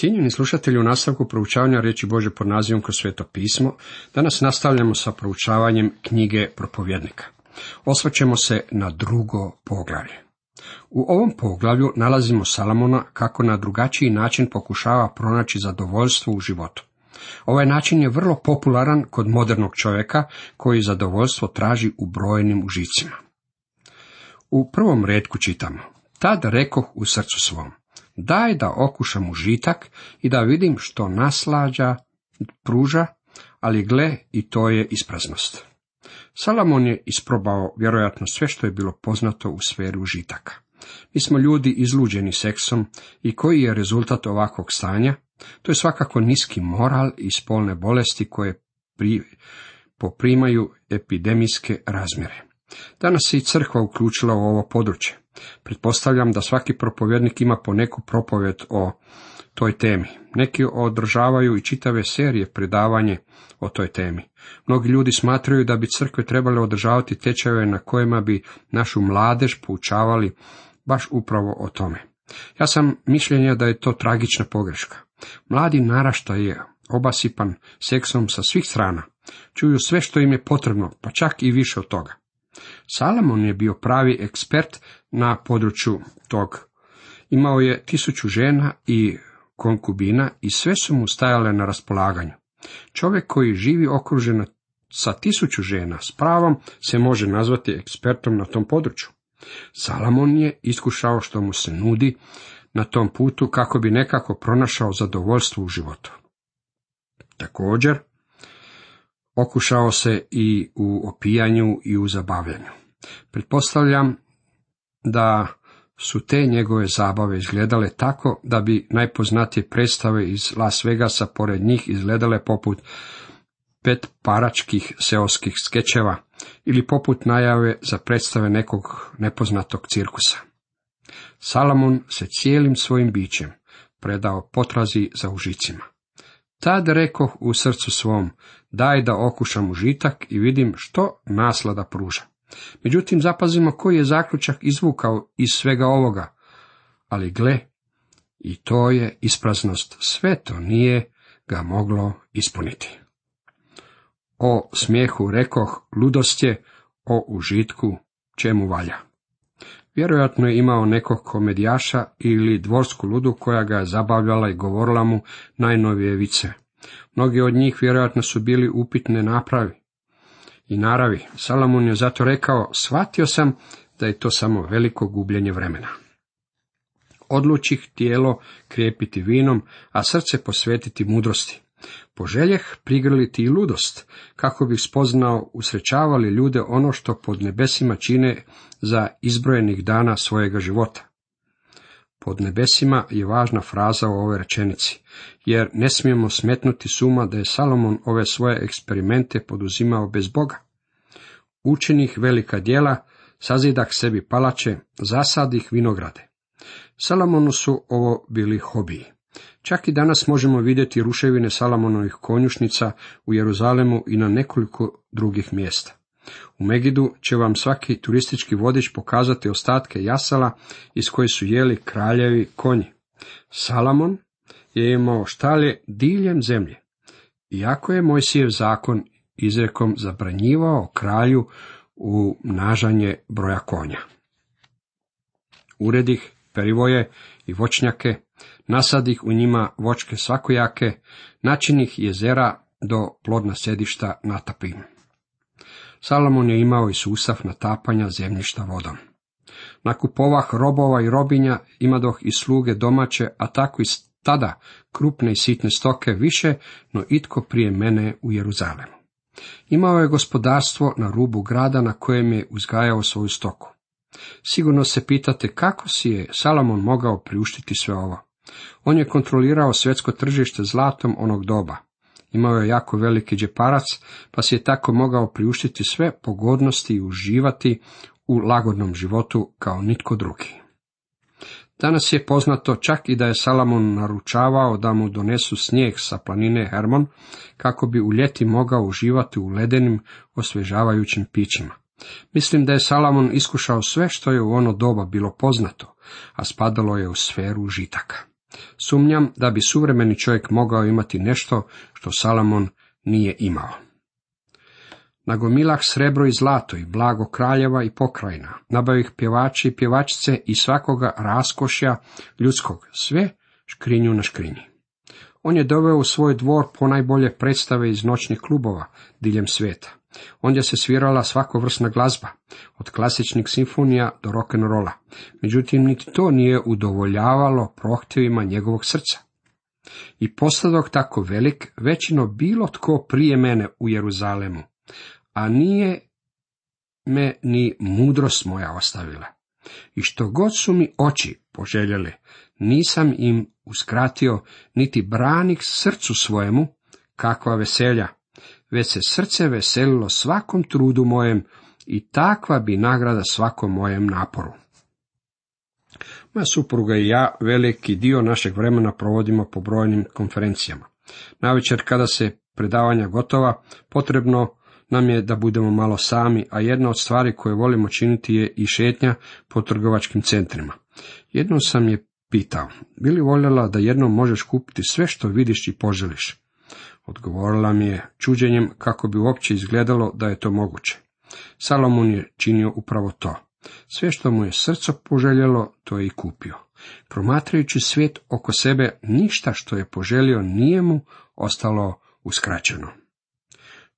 Cijenjeni slušatelji, u nastavku proučavanja riječi Božje pod nazivom Kroz sveto pismo, danas nastavljamo sa proučavanjem knjige Propovjednika. Osvrćemo se na drugo poglavlje. U ovom poglavlju nalazimo Salomona kako na drugačiji način pokušava pronaći zadovoljstvo u životu. Ovaj način je vrlo popularan kod modernog čovjeka koji zadovoljstvo traži u brojnim užicima. U prvom retku čitamo: Tad rekoh u srcu svom, daj da okušam užitak i da vidim što naslađa pruža, ali gle, i to je ispraznost. Salomon je isprobao vjerojatno sve što je bilo poznato u sferi užitaka. Mi smo ljudi izluđeni seksom i koji je rezultat ovakvog stanja? To je svakako niski moral i spolne bolesti koje poprimaju epidemijske razmjere. Danas se i crkva uključila u ovo područje. Pretpostavljam da svaki propovjednik ima po neku propovjed o toj temi. Neki održavaju i čitave serije predavanje o toj temi. Mnogi ljudi smatraju da bi crkve trebale održavati tečajeve na kojima bi našu mladež poučavali baš upravo o tome. Ja sam mišljenja da je to tragična pogreška. Mladi naraštaj je obasipan seksom sa svih strana. Čuju sve što im je potrebno, pa čak i više od toga. Salomon je bio pravi ekspert na području tog. Imao je 1000 žena i konkubina i sve su mu stajale na raspolaganju. Čovjek koji živi okružen sa 1000 žena s pravom se može nazvati ekspertom na tom području. Salomon je iskušao što mu se nudi na tom putu kako bi nekako pronašao zadovoljstvo u životu. Također, okušao se i u opijanju i u zabavljanju. Pretpostavljam da su te njegove zabave izgledale tako da bi najpoznatije predstave iz Las Vegasa pored njih izgledale poput petparačkih seoskih skečeva ili poput najave za predstave nekog nepoznatog cirkusa. Salomon se cijelim svojim bićem predao potrazi za užicima. Tad rekoh u srcu svom, daj da okušam užitak i vidim što naslada pruža. Međutim, zapazimo koji je zaključak izvukao iz svega ovoga. Ali gle, i to je ispraznost, sve to nije ga moglo ispuniti. O smijehu rekoh, ludost je, o užitku čemu valja. Vjerojatno je imao nekog komedijaša ili dvorsku ludu koja ga je zabavljala i govorila mu najnovije vice. Mnogi od njih vjerojatno su bili upitne naravi. Salomon je zato rekao, shvatio sam da je to samo veliko gubljenje vremena. Odlučih tijelo krijepiti vinom, a srce posvetiti mudrosti. Poželjeh prigrliti i ludost, kako bih spoznao usrećavali ljude ono što pod nebesima čine za izbrojenih dana svojega života. Pod nebesima je važna fraza u ovoj rečenici, jer ne smijemo smetnuti suma da je Salomon ove svoje eksperimente poduzimao bez Boga. Učenih velika djela, sazidah sebi palače, zasadih vinograde. Salomonu su ovo bili hobiji. Čak i danas možemo vidjeti ruševine Salomonovih konjušnica u Jeruzalemu i na nekoliko drugih mjesta. U Megidu će vam svaki turistički vodič pokazati ostatke jasala iz koje su jeli kraljevi konji. Salomon je imao štalje diljem zemlje, iako je Mojsijev zakon izrekom zabranjivao kralju umnažanje broja konja. Uredih perivoje i voćnjake, nasadih u njima voćke svakojake, načinih jezera do plodna sedišta natapim. Salomon je imao i sustav natapanja zemljišta vodom. Nakupovah robova i robinja, imadoh i sluge domaće, a tako i tada krupne i sitne stoke više, no itko prije mene u Jeruzalemu. Imao je gospodarstvo na rubu grada na kojem je uzgajao svoju stoku. Sigurno se pitate kako si je Salomon mogao priuštiti sve ovo. On je kontrolirao svjetsko tržište zlatom onog doba. Imao je jako veliki džeparac, pa si je tako mogao priuštiti sve pogodnosti i uživati u lagodnom životu kao nitko drugi. Danas je poznato čak i da je Salomon naručavao da mu donesu snijeg sa planine Hermon, kako bi u ljeti mogao uživati u ledenim, osvježavajućim pićima. Mislim da je Salomon iskušao sve što je u ono doba bilo poznato, a spadalo je u sferu užitaka. Sumnjam da bi suvremeni čovjek mogao imati nešto što Salomon nije imao. Nagomilah srebro i zlato i blago kraljeva i pokrajina, nabavih pjevači i pjevačice i svakoga raskošja ljudskog, sve škrinju na škrinji. On je doveo u svoj dvor ponajbolje predstave iz noćnih klubova diljem svijeta. Ondje se svirala svakovrsna glazba, od klasičnih simfonija do rock'n'rolla. Međutim, niti to nije udovoljavalo prohtjevima njegovog srca. I postadok tako velik, većino bilo tko prije mene u Jeruzalemu, a nije me ni mudrost moja ostavila. I što god su mi oči poželjele, nisam im uskratio, niti branik srcu svojemu, kakva veselja, već se srce veselilo svakom trudu mojem i takva bi nagrada svakom mojem naporu. Moja supruga i ja veliki dio našeg vremena provodimo po brojnim konferencijama. Navečer kada se predavanja gotova, potrebno nam je da budemo malo sami, a jedna od stvari koje volimo činiti je i šetnja po trgovačkim centrima. Jednom sam je pitao, bi li voljela da jednom možeš kupiti sve što vidiš i poželiš? Odgovorila mi je čuđenjem kako bi uopće izgledalo da je to moguće. Salomon je činio upravo to. Sve što mu je srce poželjelo, to je i kupio. Promatrajući svijet oko sebe, ništa što je poželio nije mu ostalo uskraćeno.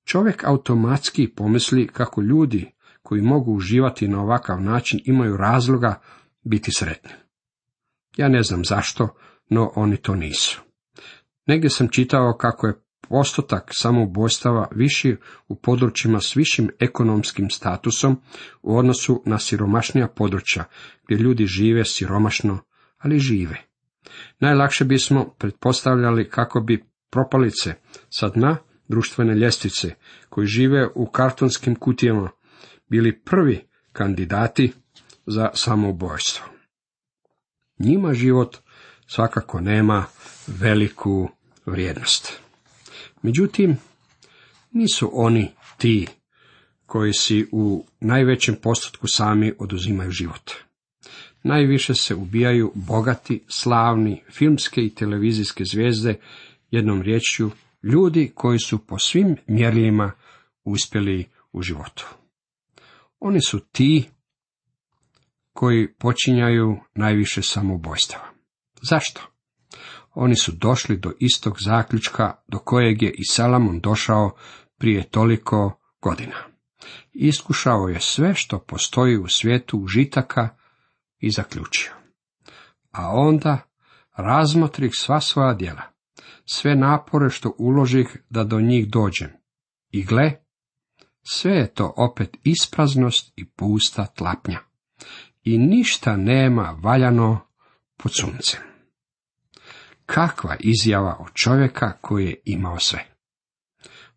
Čovjek automatski pomisli kako ljudi koji mogu uživati na ovakav način imaju razloga biti sretni. Ja ne znam zašto, no oni to nisu. Negdje sam čitao kako je postotak samoubojstava viši u područjima s višim ekonomskim statusom u odnosu na siromašnija područja, gdje ljudi žive siromašno, ali žive. Najlakše bismo pretpostavljali kako bi propalice sa dna društvene ljestvice, koji žive u kartonskim kutijama, bili prvi kandidati za samoubojstvo. Njima život svakako nema veliku vrijednost. Međutim, nisu oni ti koji si u najvećem postotku sami oduzimaju život. Najviše se ubijaju bogati, slavni, filmske i televizijske zvijezde, jednom riječju, ljudi koji su po svim mjerilima uspjeli u životu. Oni su ti koji počinjaju najviše samoubojstava. Zašto? Oni su došli do istog zaključka do kojeg je i Salomon došao prije toliko godina. Iskušao je sve što postoji u svijetu užitaka i zaključio. A onda razmotrih sva svoja djela, sve napore što uložih da do njih dođem. I gle, sve je to opet ispraznost i pusta tlapnja. I ništa nema valjano pod suncem. Kakva izjava od čovjeka koji je imao sve.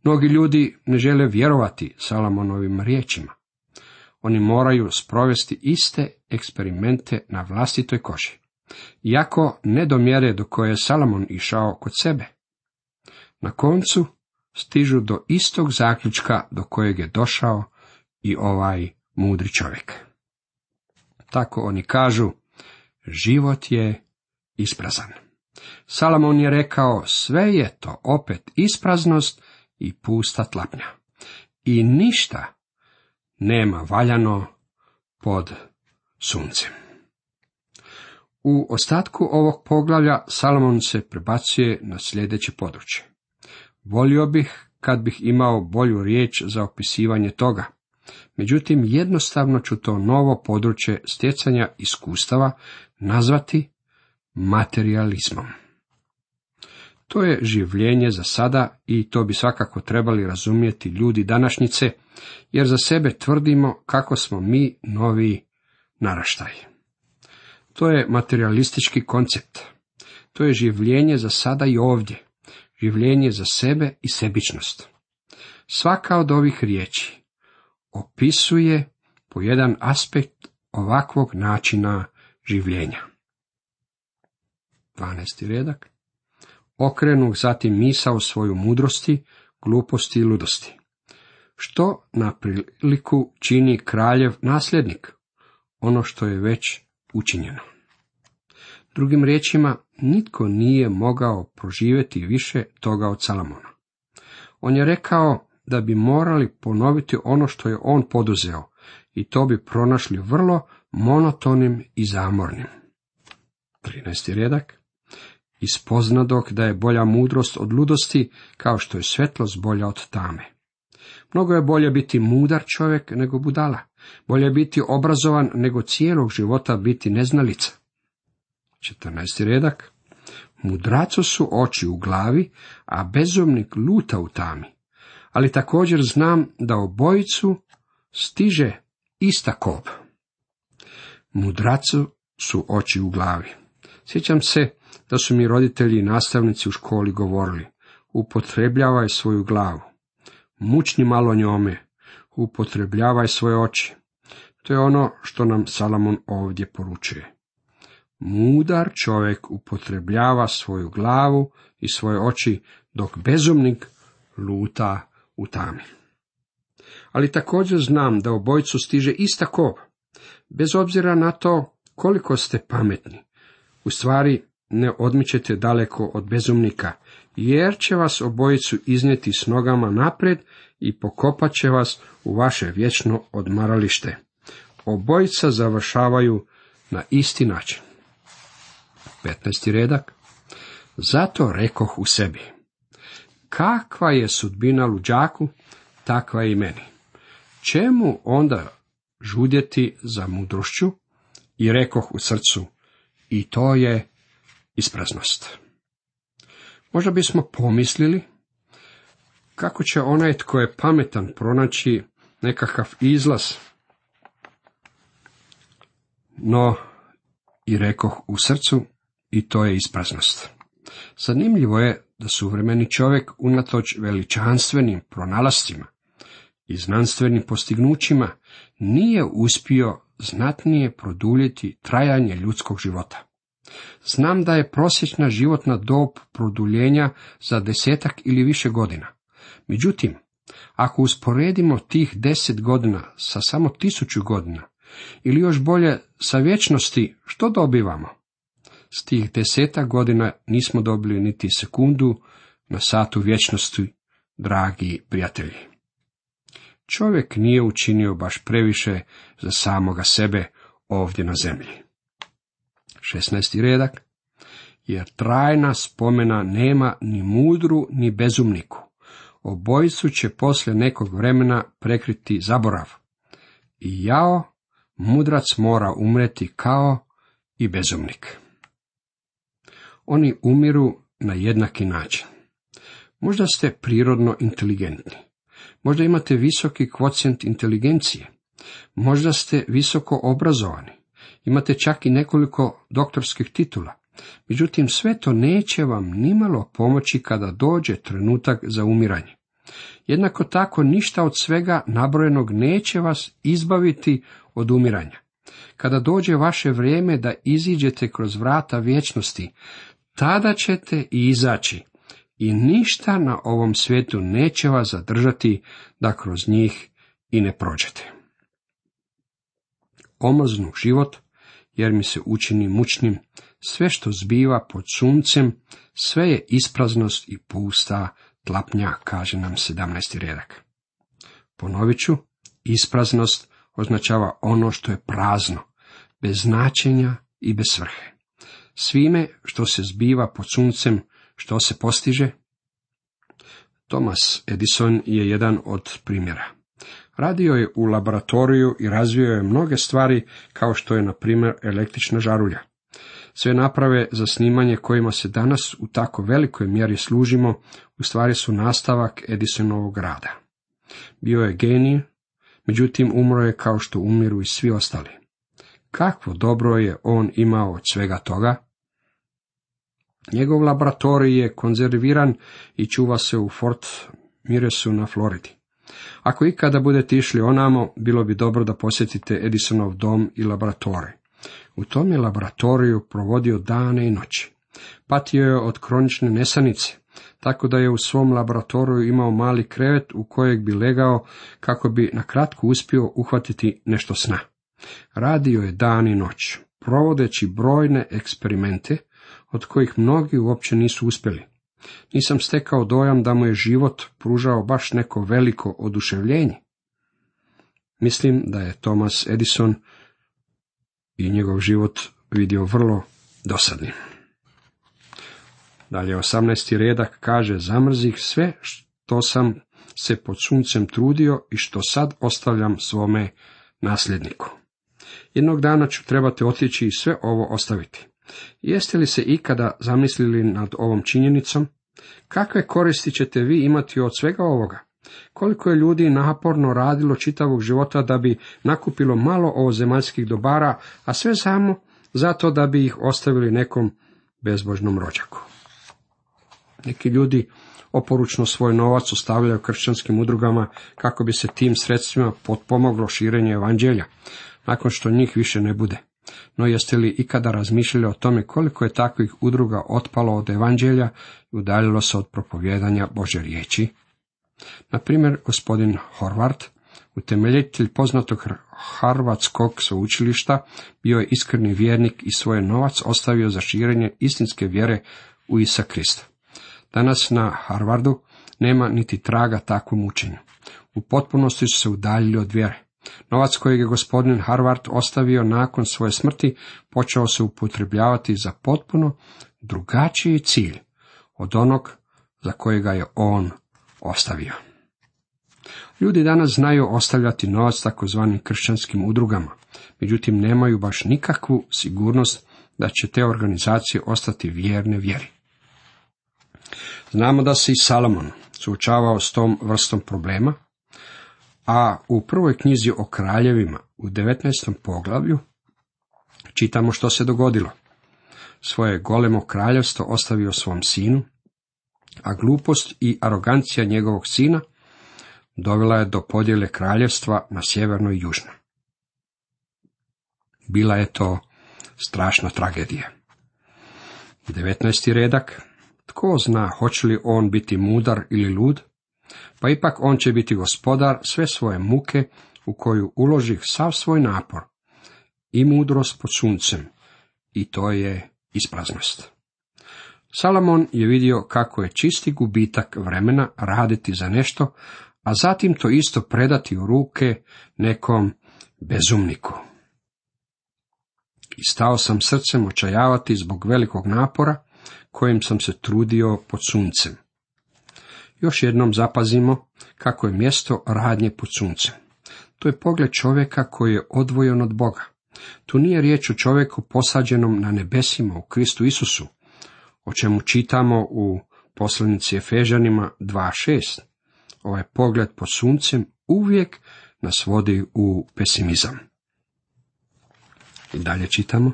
Mnogi ljudi ne žele vjerovati Salomonovim riječima. Oni moraju sprovesti iste eksperimente na vlastitoj koži. Iako ne do mjere do koje je Salomon išao kod sebe. Na koncu stižu do istog zaključka do kojeg je došao i ovaj mudri čovjek. Tako oni kažu, život je isprazan. Salomon je rekao, sve je to opet ispraznost i pusta tlapnja. I ništa nema valjano pod suncem. U ostatku ovog poglavlja Salomon se prebacuje na sljedeće područje. Volio bih kad bih imao bolju riječ za opisivanje toga. Međutim, jednostavno ću to novo područje stjecanja iskustava nazvati materijalizmom. To je življenje za sada i to bi svakako trebali razumjeti ljudi današnjice, jer za sebe tvrdimo kako smo mi novi naraštaj. To je materijalistički koncept. To je življenje za sada i ovdje, življenje za sebe i sebičnost. Svaka od ovih riječi opisuje po jedan aspekt ovakvog načina življenja. 12. redak. Okrenu zatim misao svoju mudrosti, gluposti i ludosti. Što na priliku čini kraljev nasljednik? Ono što je već učinjeno. Drugim riječima, nitko nije mogao proživjeti više toga od Salamona. On je rekao da bi morali ponoviti ono što je on poduzeo, i to bi pronašli vrlo monotonim i zamornim. 13. redak. Ispoznadok da je bolja mudrost od ludosti, kao što je svjetlost bolja od tame. Mnogo je bolje biti mudar čovjek nego budala. Bolje je biti obrazovan nego cijelog života biti neznalica. 14. redak. Mudracu su oči u glavi, a bezumnik luta u tami. Ali također znam da obojicu stiže ista kob. Mudracu su oči u glavi. Sjećam se da su mi roditelji i nastavnici u školi govorili: upotrebljavaj svoju glavu, mučni malo njome, upotrebljavaj svoje oči. To je ono što nam Salamon ovdje poručuje. Mudar čovjek upotrebljava svoju glavu i svoje oči, dok bezumnik luta u tami. Ali također znam da obojicu stiže ista kob. Bez obzira na to koliko ste pametni, u stvari ne odmičete daleko od bezumnika, jer će vas obojicu iznijeti s nogama naprijed i pokopat će vas u vaše vječno odmaralište. Obojica završavaju na isti način. 15. redak. Zato rekoh u sebi: kakva je sudbina luđaku, takva je i meni. Čemu onda žudjeti za mudrošću? I rekoh u srcu: i to je ispraznost. Možda bismo pomislili kako će onaj tko je pametan pronaći nekakav izlaz. No, i rekoh u srcu, i to je ispraznost. Zanimljivo je da suvremeni čovjek unatoč veličanstvenim pronalascima i znanstvenim postignućima nije uspio znatnije produljiti trajanje ljudskog života. Znam da je prosječna životna dob produljenja za 10 ili više godina. Međutim, ako usporedimo tih 10 godina sa samo 1000 godina, ili još bolje sa vječnosti, što dobivamo? S tih 10 godina nismo dobili niti sekundu na satu vječnosti, dragi prijatelji. Čovjek nije učinio baš previše za samoga sebe ovdje na zemlji. 16. redak. Jer trajna spomena nema ni mudru ni bezumniku. Obojicu će poslije nekog vremena prekriti zaborav. I jao, mudrac mora umreti kao i bezumnik. Oni umiru na jednaki način. Možda ste prirodno inteligentni. Možda imate visoki kvocijent inteligencije. Možda ste visoko obrazovani. Imate čak i nekoliko doktorskih titula. Međutim, sve to neće vam nimalo pomoći kada dođe trenutak za umiranje. Jednako tako ništa od svega nabrojenog neće vas izbaviti od umiranja. Kada dođe vaše vrijeme da iziđete kroz vrata vječnosti, tada ćete i izaći i ništa na ovom svijetu neće vas zadržati da kroz njih i ne prođete. Omrznu život, jer mi se učini mučnim, sve što zbiva pod suncem, sve je ispraznost i pusta tlapnja, kaže nam 17. redak. Ponovit ću, ispraznost označava ono što je prazno, bez značenja i bez svrhe. Svime što se zbiva pod suncem, što se postiže? Thomas Edison je jedan od primjera. Radio je u laboratoriju i razvio je mnoge stvari, kao što je, na primjer, električna žarulja. Sve naprave za snimanje kojima se danas u tako velikoj mjeri služimo, u stvari su nastavak Edisonovog rada. Bio je genij, međutim umro je kao što umiru i svi ostali. Kakvo dobro je on imao od svega toga? Njegov laboratorij je konzerviran i čuva se u Fort Myresu na Floridi. Ako ikada budete išli onamo, bilo bi dobro da posjetite Edisonov dom i laboratorij. U tom je laboratoriju provodio dane i noći. Patio je od kronične nesanice, tako da je u svom laboratoriju imao mali krevet u kojeg bi legao kako bi na kratko uspio uhvatiti nešto sna. Radio je dan i noć, provodeći brojne eksperimente, od kojih mnogi uopće nisu uspjeli. Nisam stekao dojam da mu je život pružao baš neko veliko oduševljenje. Mislim da je Thomas Edison i njegov život vidio vrlo dosadnim. Dalje 18. redak kaže: zamrzih sve što sam se pod suncem trudio i što sad ostavljam svome nasljedniku. Jednog dana ću trebati otići i sve ovo ostaviti. Jeste li se ikada zamislili nad ovom činjenicom? Kakve koristi ćete vi imati od svega ovoga? Koliko je ljudi naporno radilo čitavog života da bi nakupilo malo ovozemaljskih dobara, a sve samo zato da bi ih ostavili nekom bezbožnom rođaku. Neki ljudi oporučno svoj novac ostavljaju kršćanskim udrugama kako bi se tim sredstvima potpomoglo širenje evanđelja, nakon što njih više ne bude. No jeste li ikada razmišljali o tome koliko je takvih udruga otpalo od evanđelja i udaljilo se od propovjedanja Božje riječi? Na primjer, gospodin Horvat, utemeljitelj poznatog Harvardskog sveučilišta, bio je iskreni vjernik i svoj novac ostavio za širenje istinske vjere u Isusa Krista. Danas na Harvardu nema niti traga takvom učenju. U potpunosti su se udaljili od vjere. Novac kojeg je gospodin Harvard ostavio nakon svoje smrti počeo se upotrebljavati za potpuno drugačiji cilj od onog za kojega je on ostavio. Ljudi danas znaju ostavljati novac takozvanim kršćanskim udrugama, međutim nemaju baš nikakvu sigurnost da će te organizacije ostati vjerne vjeri. Znamo da se i Salomon suočavao s tom vrstom problema, a u prvoj knjizi o kraljevima u 19. poglavlju čitamo što se dogodilo. Svoje golemo kraljevstvo ostavio svom sinu, a glupost i arogancija njegovog sina dovela je do podjele kraljevstva na sjeverno i južno. Bila je to strašna tragedija. 19. redak. Tko zna hoće li on biti mudar ili lud? Pa ipak on će biti gospodar sve svoje muke u koju uloži sav svoj napor i mudrost pod suncem, i to je ispraznost. Salomon je vidio kako je čisti gubitak vremena raditi za nešto, a zatim to isto predati u ruke nekom bezumniku. I stao sam srcem očajavati zbog velikog napora kojim sam se trudio pod suncem. Još jednom zapazimo kako je mjesto radnje pod suncem. To je pogled čovjeka koji je odvojen od Boga. Tu nije riječ o čovjeku posađenom na nebesima u Kristu Isusu, o čemu čitamo u poslanici Efežanima 2.6. Ovaj pogled pod suncem uvijek nas vodi u pesimizam. I dalje čitamo: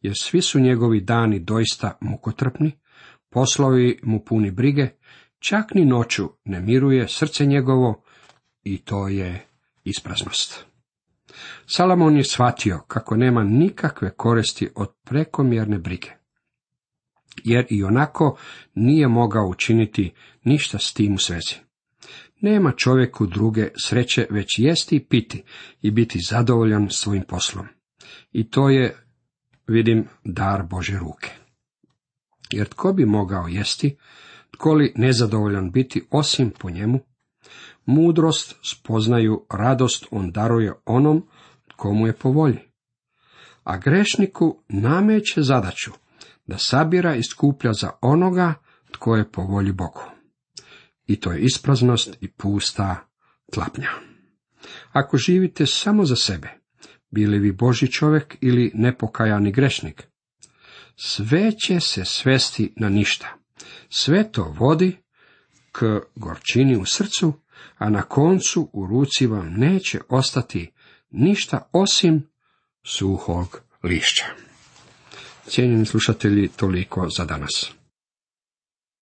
jer svi su njegovi dani doista mukotrpni, poslovi mu puni brige, čak ni noću ne miruje srce njegovo, i to je ispraznost. Salomon je shvatio kako nema nikakve koristi od prekomjerne brige, jer i onako nije mogao učiniti ništa s tim u svezi. Nema čovjeku druge sreće već jesti i piti i biti zadovoljan svojim poslom. I to je, vidim, dar Božje ruke. Jer tko bi mogao jesti, tko li nezadovoljan biti osim po njemu? Mudrost, spoznaju, radost on daruje onom tko mu je po volji. A grešniku nameće zadaću da sabira i skuplja za onoga tko je po volji Bogu. I to je ispraznost i pusta tlapnja. Ako živite samo za sebe, bili vi Božji čovjek ili nepokajani grešnik, sve će se svesti na ništa. Sve to vodi k gorčini u srcu, a na koncu u ruci vam neće ostati ništa osim suhog lišća. Cijenjeni slušatelji, toliko za danas.